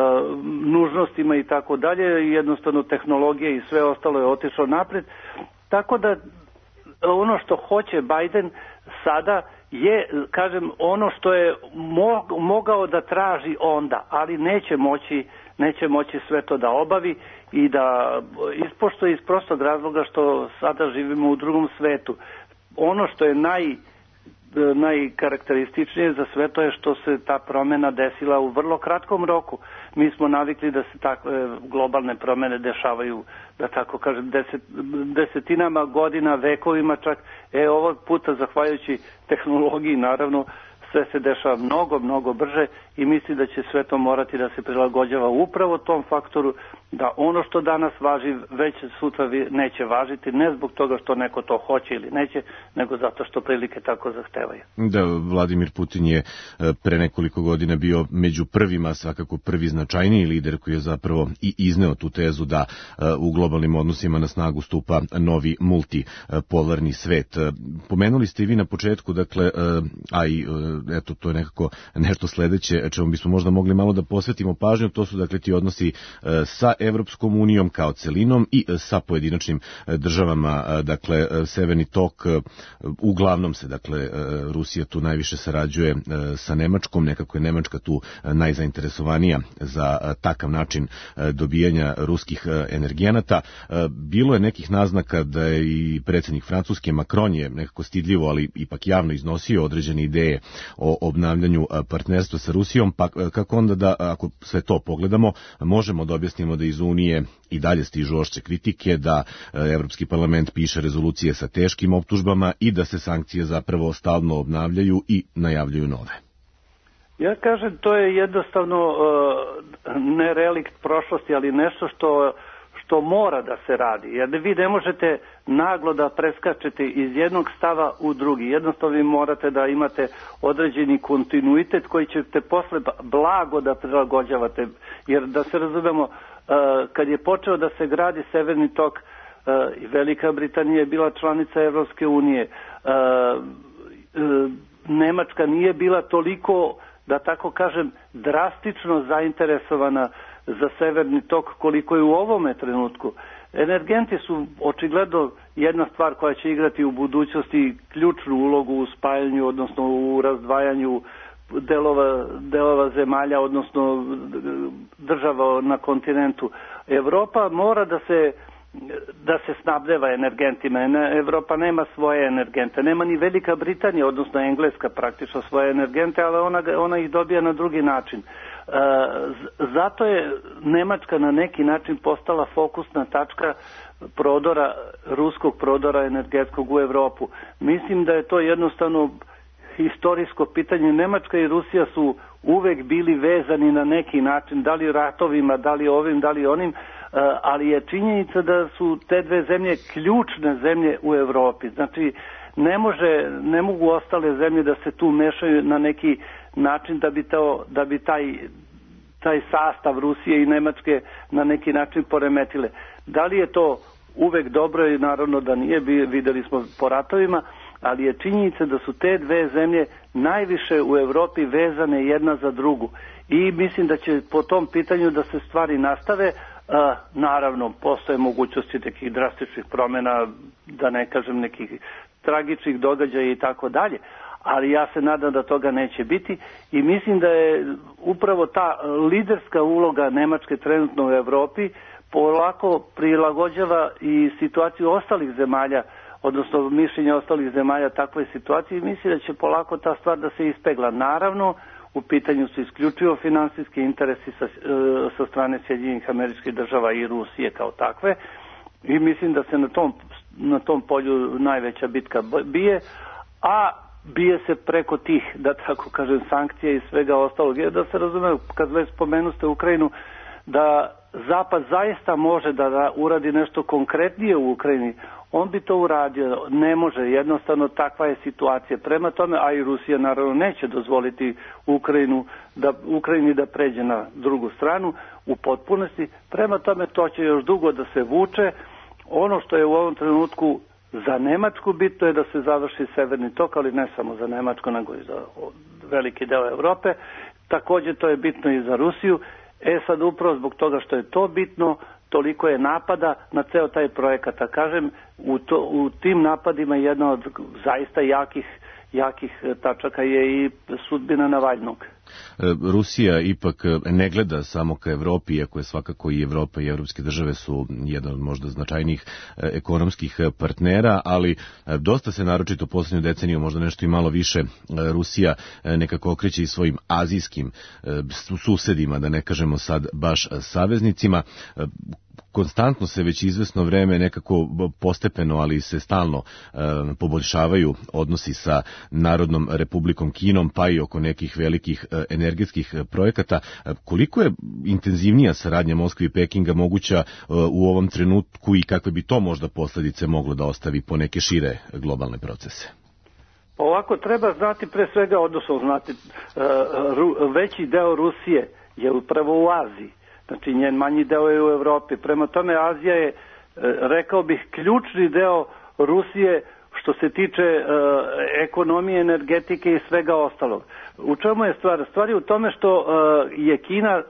nužnostima i tako dalje, jednostavno tehnologija i sve ostalo je otišlo napred, tako da ono što hoće Biden sada je, kažem, ono što je mogao da traži onda, ali neće moći, neće moći sve to da obavi i da ispoštuje iz prostog razloga što sada živimo u drugom svetu. Ono što je naj najkarakterističnije za sve to je što se ta promjena desila u vrlo kratkom roku. Mi smo navikli da se takve globalne promjene dešavaju, da tako kažem, deset, desetinama godina, vekovima čak. E, ovog puta, zahvaljujući tehnologiji, naravno, sve se dešava mnogo, mnogo brže i misli da će sve to morati da se prilagođava upravo tom faktoru, da ono što danas važi već sutra neće važiti, ne zbog toga što neko to hoće ili neće, nego zato što prilike tako zahtevaju. Da, Vladimir Putin je pre nekoliko godina bio među prvima, svakako prvi značajniji lider koji je zapravo i izneo tu tezu da u globalnim odnosima na snagu stupa novi multipolarni svet. Pomenuli ste i vi na početku, dakle, a i eto, to je nekako nešto sledeće čemu bismo možda mogli malo da posvetimo pažnju, to su dakle ti odnosi sa Evropskom unijom kao celinom i sa pojedinačnim državama, dakle Severni tok, uglavnom se dakle Rusija tu najviše sarađuje sa Nemačkom, nekako je Nemačka tu najzainteresovanija za takav način dobijanja ruskih energenata. Bilo je nekih naznaka da je i predsjednik Francuske Macron je nekako stidljivo, ali ipak javno iznosio određene ideje o obnavljanju partnerstva sa Rusijom, pa kako onda da, ako sve to pogledamo, možemo da objasnimo da iz Unije i dalje stižu oštre kritike, da Evropski parlament piše rezolucije sa teškim optužbama i da se sankcije zapravo stalno obnavljaju i najavljuju nove. Ja kažem, to je jednostavno uh, ne relikt prošlosti, ali nešto što što mora da se radi, jer vi ne možete naglo da preskačete iz jednog stava u drugi. Jednostavno vi morate da imate određeni kontinuitet koji ćete posle blago da prilagođavate. Jer da se razumemo, kad je počeo da se gradi Severni tok, i Velika Britanija je bila članica Evropske unije, Nemačka nije bila toliko, da tako kažem, drastično zainteresovana za Severni tok koliko je u ovome trenutku. Energenti su očigledno jedna stvar koja će igrati u budućnosti ključnu ulogu u spajanju, odnosno u razdvajanju delova, delova zemalja, odnosno država na kontinentu. Evropa mora da se da se snabdeva energentima. Evropa nema svoje energente. Nema ni Velika Britanija, odnosno Engleska praktično svoje energente, ali ona, ona ih dobija na drugi način. Zato je Nemačka na neki način postala fokusna tačka prodora, ruskog prodora energetskog u Evropu. Mislim da je to jednostavno historijsko pitanje. Nemačka i Rusija su uvek bili vezani na neki način, da li ratovima, da li ovim, da li onim, ali je činjenica da su te dve zemlje ključne zemlje u Evropi. Znači, ne može, ne mogu ostale zemlje da se tu mešaju na neki način da bi, to, da bi taj, taj sastav Rusije i Nemačke na neki način poremetile. Da li je to uvek dobro i naravno da nije, videli smo po ratovima, ali je činjenica da su te dve zemlje najviše u Evropi vezane jedna za drugu. I mislim da će po tom pitanju da se stvari nastave. A, naravno, postoje mogućnosti nekih drastičnih promjena, da ne kažem nekih tragičnih događaja i tako dalje, ali ja se nadam da toga neće biti i mislim da je upravo ta liderska uloga Nemačke trenutno u Evropi polako prilagođava i situaciju ostalih zemalja, odnosno mišljenje ostalih zemalja takvoj situaciji, i mislim da će polako ta stvar da se ispegla. Naravno, u pitanju su isključivo finansijski interesi sa, sa strane Sjedinjenih Američkih Država i Rusije kao takve i mislim da se na tom, na tom polju najveća bitka bije, a bije se preko tih, da tako kažem, sankcija i svega ostalog. Jer da se razume, kad već spomenuste Ukrajinu, da Zapad zaista može da uradi nešto konkretnije u Ukrajini, on bi to uradio. Ne može, jednostavno takva je situacija. Prema tome, a i Rusija naravno neće dozvoliti Ukrajinu da, Ukrajini da pređe na drugu stranu u potpunosti. Prema tome, to će još dugo da se vuče. Ono što je u ovom trenutku za Nemačku bitno je da se završi Severni tok, ali ne samo za Nemačku, nego i za veliki deo Evrope. Također to je bitno i za Rusiju. E sad upravo zbog toga što je to bitno, toliko je napada na ceo taj projekat. A kažem, u, to, u tim napadima jedna od zaista jakih, jakih tačaka je i sudbina Navalnog. Rusija ipak ne gleda samo ka Evropi, iako je svakako i Evropa i evropske države su jedan od možda značajnijih ekonomskih partnera, ali dosta se naročito poslednju deceniju, možda nešto i malo više, Rusija nekako okreće i svojim azijskim susedima, da ne kažemo sad baš saveznicima. Konstantno se već izvesno vreme nekako postepeno, ali se stalno e, poboljšavaju odnosi sa Narodnom Republikom Kinom, pa i oko nekih velikih e, energetskih projekata. E, koliko je intenzivnija saradnja Moskve i Pekinga moguća e, u ovom trenutku i kakve bi to možda posledice moglo da ostavi po neke šire globalne procese? Ovako, treba znati pre svega, odnosno znati, e, ru, veći deo Rusije je upravo u Aziji. Znači, njen manji deo je u Evropi. Prema tome, Azija je, rekao bih, ključni deo Rusije što se tiče e, ekonomije, energetike i svega ostalog. U čemu je stvar? Stvar je u tome što e, je Kina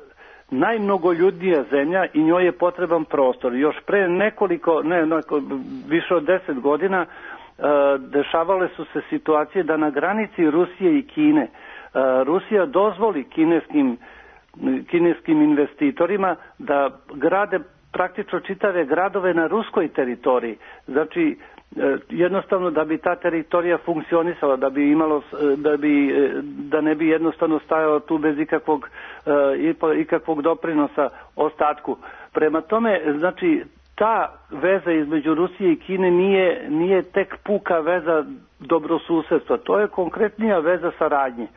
najmnogoljudnija zemlja i njoj je potreban prostor. Još pre nekoliko, ne, neko, više od deset godina, e, dešavale su se situacije da na granici Rusije i Kine e, Rusija dozvoli kineskim kineskim investitorima da grade praktično čitave gradove na ruskoj teritoriji. Znači, jednostavno da bi ta teritorija funkcionisala, da bi imalo, da bi, da ne bi jednostavno stajao tu bez ikakvog, ikakvog doprinosa ostatku. Prema tome, znači, ta veza između Rusije i Kine nije, nije tek puka veza dobrosusedstva, to je konkretnija veza saradnje.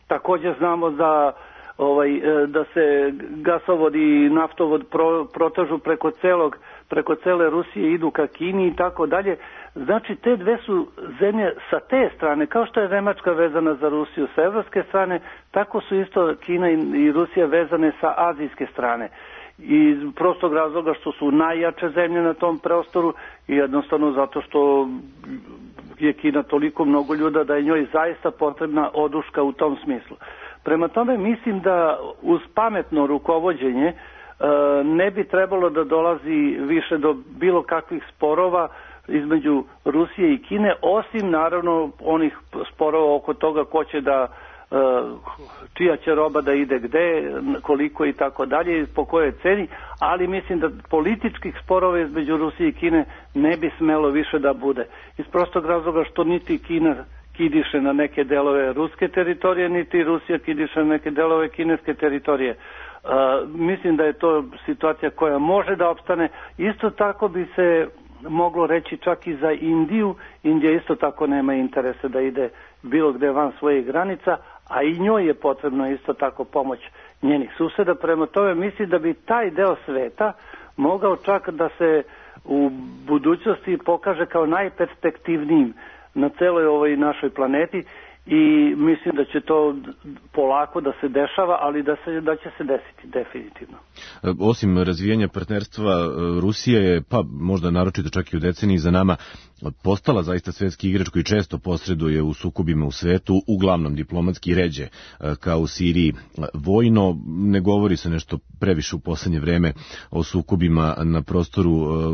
Također znamo da Ovaj, da se gasovod i naftovod pro, protažu preko celog, preko cele Rusije, idu ka Kini i tako dalje. Znači, te dve su zemlje sa te strane, kao što je Nemačka vezana za Rusiju sa evropske strane, tako su isto Kina i Rusija vezane sa azijske strane. I prostog razloga što su najjače zemlje na tom prostoru i jednostavno zato što je Kina toliko mnogo ljuda da je njoj zaista potrebna oduška u tom smislu. Prema tome mislim da uz pametno rukovođenje e, ne bi trebalo da dolazi više do bilo kakvih sporova između Rusije i Kine, osim naravno onih sporova oko toga ko će da, e, čija će roba da ide gde, koliko i tako dalje, po kojoj ceni, ali mislim da političkih sporova između Rusije i Kine ne bi smelo više da bude. Iz prostog razloga što niti Kina kidiše na neke delove ruske teritorije, niti Rusija kidiše na neke delove kineske teritorije. Uh, mislim da je to situacija koja može da opstane. Isto tako bi se moglo reći čak i za Indiju. Indija isto tako nema interese da ide bilo gde van svojih granica, a i njoj je potrebno isto tako pomoć njenih suseda. Prema tome mislim da bi taj deo sveta mogao čak da se u budućnosti pokaže kao najperspektivnijim na celoj ovoj našoj planeti i mislim da će to polako da se dešava, ali da, se, da će se desiti definitivno. Osim razvijanja partnerstva, Rusija je, pa možda naročito čak i u deceniji za nama, postala zaista svetski igrač koji često posreduje u sukobima u svetu, uglavnom diplomatski ređe, kao u Siriji vojno. Ne govori se nešto previše u poslednje vreme o sukobima na prostoru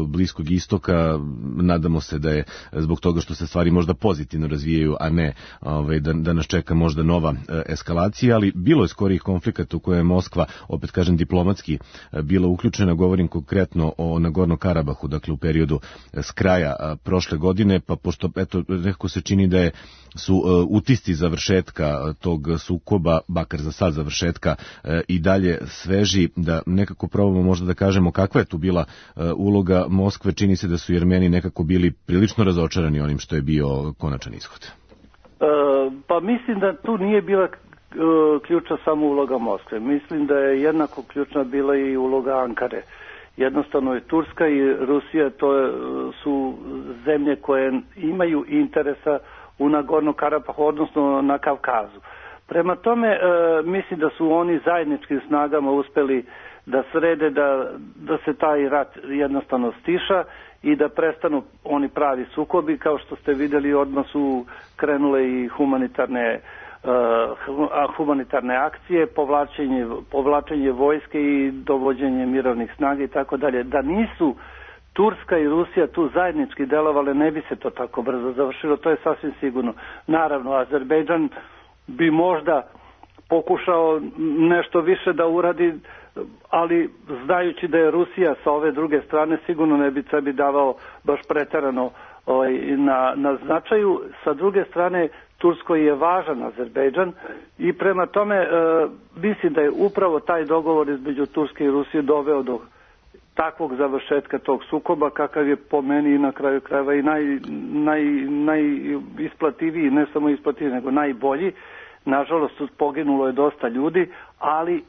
Bliskog istoka. Nadamo se da je zbog toga što se stvari možda pozitivno razvijaju, a ne ovaj, da, da nas čeka možda nova eskalacija, ali bilo je skorijih konflikata u koje je Moskva, opet kažem diplomatski, bila uključena. Govorim konkretno o Nagorno Karabahu, dakle u periodu s kraja prošle godine, pa pošto eto, nekako se čini da je, su uh, utisci završetka tog sukoba, bakar za sad završetka, uh, i dalje sveži, da nekako probamo možda da kažemo kakva je tu bila uh, uloga Moskve. Čini se da su Jermeni nekako bili prilično razočarani onim što je bio konačan ishod. Uh, pa mislim da tu nije bila uh, ključna samo uloga Moskve. Mislim da je jednako ključna bila i uloga Ankare. Jednostavno je Turska i Rusija, to je, su zemlje koje imaju interesa u Nagorno Karabahu, odnosno na Kavkazu. Prema tome, e, mislim da su oni zajedničkim snagama uspeli da srede, da, da se taj rat jednostavno stiša i da prestanu oni pravi sukobi. Kao što ste vidjeli, odmah su krenule i humanitarne humanitarne akcije, povlačenje, povlačenje vojske i dovođenje mirovnih snaga i tako dalje. Da nisu Turska i Rusija tu zajednički delovale, ne bi se to tako brzo završilo, to je sasvim sigurno. Naravno, Azerbejdžan bi možda pokušao nešto više da uradi, ali znajući da je Rusija sa ove druge strane, sigurno ne bi sebi davao baš preterano ovaj, na, na značaju. Sa druge strane, Turskoj je važan Azerbejdžan i prema tome e, mislim da je upravo taj dogovor između Turske i Rusije doveo do takvog završetka tog sukoba, kakav je po meni na kraju krajeva i naj, naj, najisplativiji, ne samo isplativiji, nego najbolji. Nažalost, poginulo je dosta ljudi, ali e,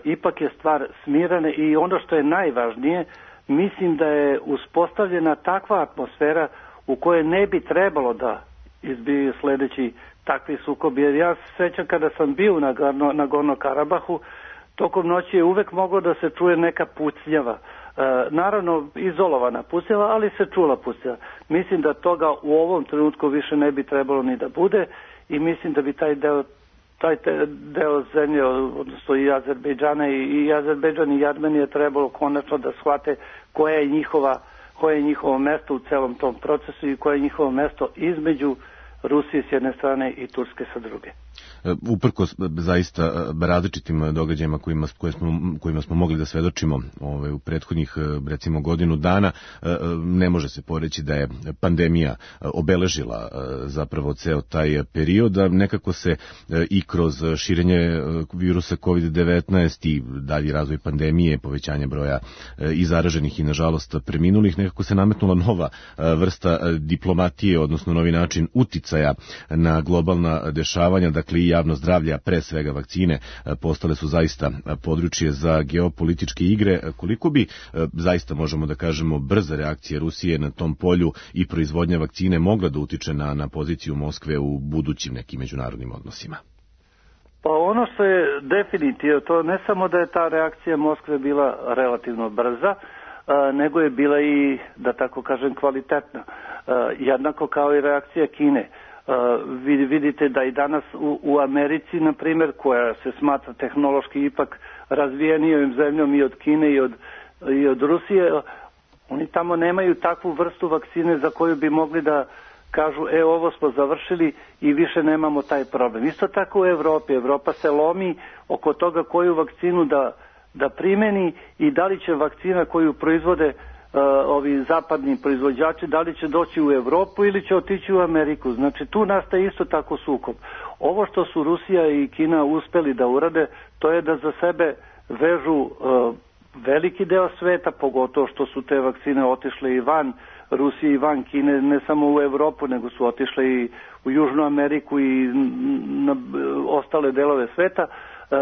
ipak je stvar smirana i ono što je najvažnije, mislim da je uspostavljena takva atmosfera u kojoj ne bi trebalo da izbiju sledeći takvi sukobi. Jer ja se sećam kada sam bio na, na Gorno-Karabahu, tokom noći je uvek moglo da se čuje neka pucnjava. E, naravno, izolovana pucnjava, ali se čula pucnjava. Mislim da toga u ovom trenutku više ne bi trebalo ni da bude i mislim da bi taj deo, taj te, deo zemlje, odnosno i Azerbejdžana i, i Azerbejdžan i Armenije trebalo konačno da shvate koja je njihova, koje je njihovo mesto u celom tom procesu i koje je njihovo mesto između Rusije s jedne strane i Turske sa druge. Uprkos zaista različitim događajima kojima, koje smo, kojima smo mogli da svedočimo ove, u prethodnih recimo godinu dana, ne može se poreći da je pandemija obeležila zapravo ceo taj period, da nekako se i kroz širenje virusa kovid devetnaest i dalji razvoj pandemije, povećanje broja i zaraženih i nažalost preminulih, nekako se nametnula nova vrsta diplomatije, odnosno novi način uticaja na globalna dešavanja, dakle i javno zdravlje, a pre svega vakcine, postale su zaista područje za geopolitičke igre. Koliko bi zaista, možemo da kažemo, brza reakcija Rusije na tom polju i proizvodnja vakcine mogla da utiče na, na poziciju Moskve u budućim nekim međunarodnim odnosima? Pa ono što je definitivno, to ne samo da je ta reakcija Moskve bila relativno brza, nego je bila i, da tako kažem, kvalitetna. Jednako kao i reakcija Kine. Uh, vidite da i danas u, u Americi, na primjer, koja se smatra tehnološki ipak razvijenijom zemljom i od Kine i od, i od Rusije, oni tamo nemaju takvu vrstu vakcine za koju bi mogli da kažu, e, ovo smo završili i više nemamo taj problem. Isto tako u Evropi. Evropa se lomi oko toga koju vakcinu da, da primeni i da li će vakcina koju proizvode Uh, ovi zapadni proizvođači, da li će doći u Evropu ili će otići u Ameriku. Znači tu nastaje isto tako sukob. Ovo što su Rusija i Kina uspeli da urade, to je da za sebe vežu uh, veliki deo sveta, pogotovo što su te vakcine otišle i van Rusije i van Kine, ne samo u Evropu, nego su otišle i u Južnu Ameriku i na ostale delove sveta. E,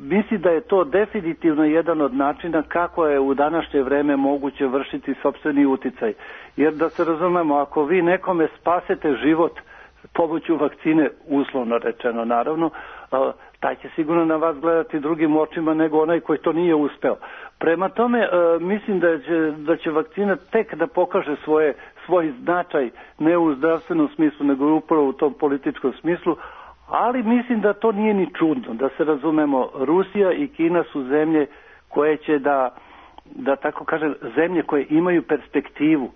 misli da je to definitivno jedan od načina kako je u današnje vreme moguće vršiti sopstveni uticaj. Jer da se razumemo, ako vi nekome spasete život pomoću vakcine, uslovno rečeno naravno, e, taj će sigurno na vas gledati drugim očima nego onaj koji to nije uspeo. Prema tome, e, mislim da će, da će vakcina tek da pokaže svoje, svoj značaj, ne u zdravstvenom smislu, nego upravo u tom političkom smislu, ali mislim da to nije ni čudno, da se razumemo, Rusija i Kina su zemlje koje će da, da tako kažem, zemlje koje imaju perspektivu.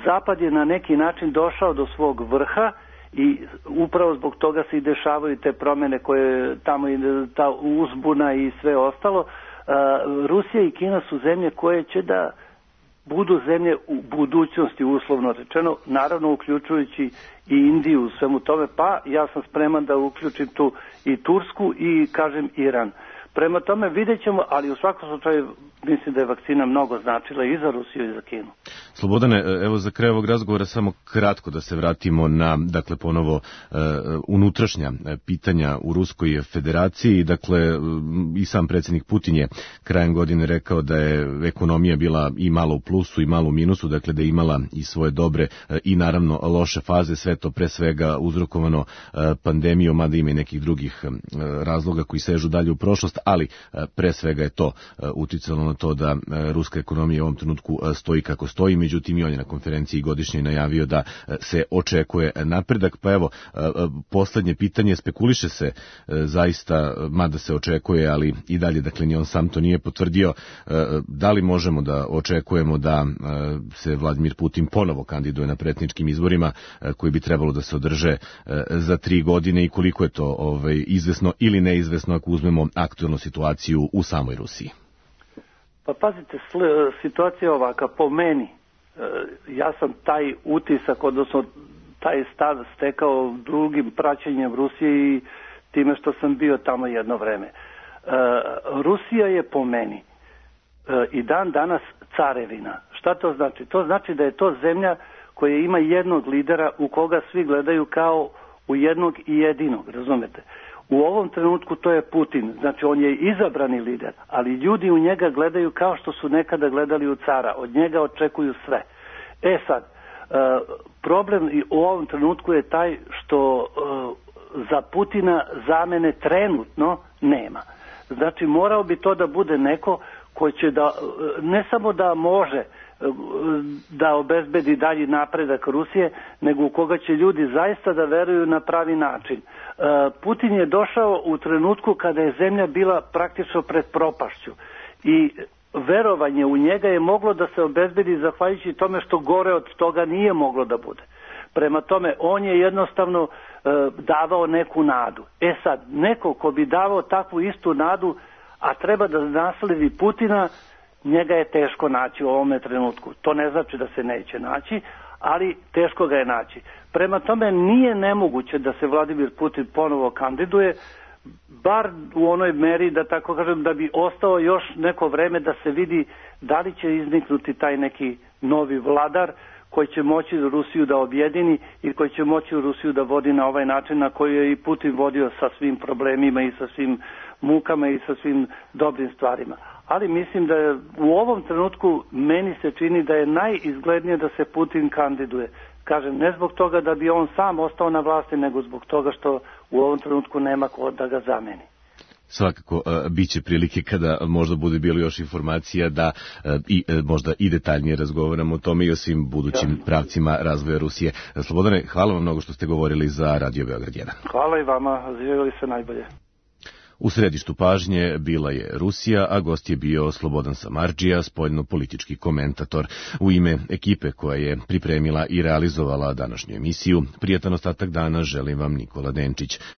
Zapad je na neki način došao do svog vrha i upravo zbog toga se i dešavaju te promjene koje tamo, ta uzbuna i sve ostalo. Rusija i Kina su zemlje koje će da budu zemlje u budućnosti, uslovno rečeno, naravno uključujući i Indiju u svemu tome, pa ja sam spreman da uključim tu i Tursku i, kažem, Iran. Prema tome vidjet ćemo, ali u svakom slučaju mislim da je vakcina mnogo značila i za Rusiju i za Kinu. Slobodane, evo za kraj ovog razgovora samo kratko da se vratimo na, dakle, ponovo uh, unutrašnja pitanja u Ruskoj federaciji. Dakle, i sam predsjednik Putin je krajem godine rekao da je ekonomija bila i malo u plusu i malo u minusu, dakle da je imala i svoje dobre i naravno loše faze, sve to pre svega uzrokovano pandemijom, mada ima i nekih drugih razloga koji sežu dalje u prošlost, ali pre svega je to uticalo na to da ruska ekonomija u ovom trenutku stoji kako stoji, međutim i on je na konferenciji godišnje najavio da se očekuje napredak. Pa evo, poslednje pitanje, spekuliše se zaista, mada se očekuje, ali i dalje, dakle ni on sam to nije potvrdio, da li možemo da očekujemo da se Vladimir Putin ponovo kandiduje na predsjedničkim izborima koji bi trebalo da se održe za tri godine i koliko je to ovaj, izvesno ili neizvesno ako uzmemo aktualnu situaciju u samoj Rusiji? Pa pazite, situacija je ovaka, po meni, ja sam taj utisak, odnosno taj stav stekao drugim praćenjem Rusije i time što sam bio tamo jedno vreme. Rusija je po meni i dan danas carevina. Šta to znači? To znači da je to zemlja koja ima jednog lidera u koga svi gledaju kao u jednog i jedinog, razumete? U ovom trenutku to je Putin, znači on je izabrani lider, ali ljudi u njega gledaju kao što su nekada gledali u cara, od njega očekuju sve. E sad, problem u ovom trenutku je taj što za Putina zamene trenutno nema. Znači morao bi to da bude neko koji će da, ne samo da može da obezbedi dalji napredak Rusije, nego u koga će ljudi zaista da veruju na pravi način. Putin je došao u trenutku kada je zemlja bila praktično pred propašću i verovanje u njega je moglo da se obezbedi zahvaljujući tome što gore od toga nije moglo da bude. Prema tome, on je jednostavno e, davao neku nadu. E sad, neko ko bi davao takvu istu nadu, a treba da nasledi Putina, njega je teško naći u ovome trenutku. To ne znači da se neće naći, ali teško ga je naći. Prema tome, nije nemoguće da se Vladimir Putin ponovo kandiduje, bar u onoj meri, da tako kažem, da bi ostao još neko vreme da se vidi da li će izniknuti taj neki novi vladar koji će moći Rusiju da objedini i koji će moći Rusiju da vodi na ovaj način na koji je i Putin vodio sa svim problemima i sa svim mukama i sa svim dobrim stvarima. Ali mislim da je, u ovom trenutku meni se čini da je najizglednije da se Putin kandiduje. Kažem, ne zbog toga da bi on sam ostao na vlasti, nego zbog toga što u ovom trenutku nema ko da ga zameni. Svakako, uh, bit će prilike kada možda bude bilo još informacija da uh, i uh, možda i detaljnije razgovaramo o tome i o svim budućim ja. pravcima razvoja Rusije. Slobodane, hvala vam mnogo što ste govorili za Radio Beograd jedan. Hvala i vama, živjeli se najbolje. U središtu pažnje bila je Rusija, a gost je bio Slobodan Samardžija, spoljno-politički komentator. U ime ekipe koja je pripremila i realizovala današnju emisiju, prijatan ostatak dana želim vam Nikola Denčić.